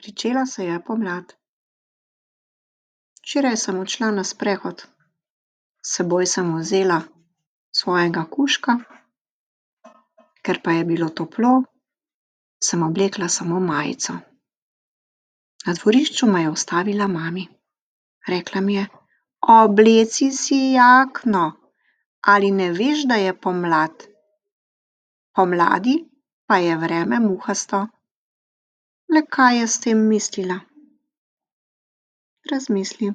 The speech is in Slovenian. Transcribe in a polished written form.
Pričela se je pomlad. Včeraj sem odšla na sprehod. S seboj sem vzela svojega kužka, ker pa je bilo toplo, sem oblekla samo majico. Na dvorišču me je ustavila mami. Rekla mi je: "Obleci si jakno. Ali ne veš, da je pomlad? Pomladi pa je vreme muhasto." Le kaj je s tem mislila? Razmisli.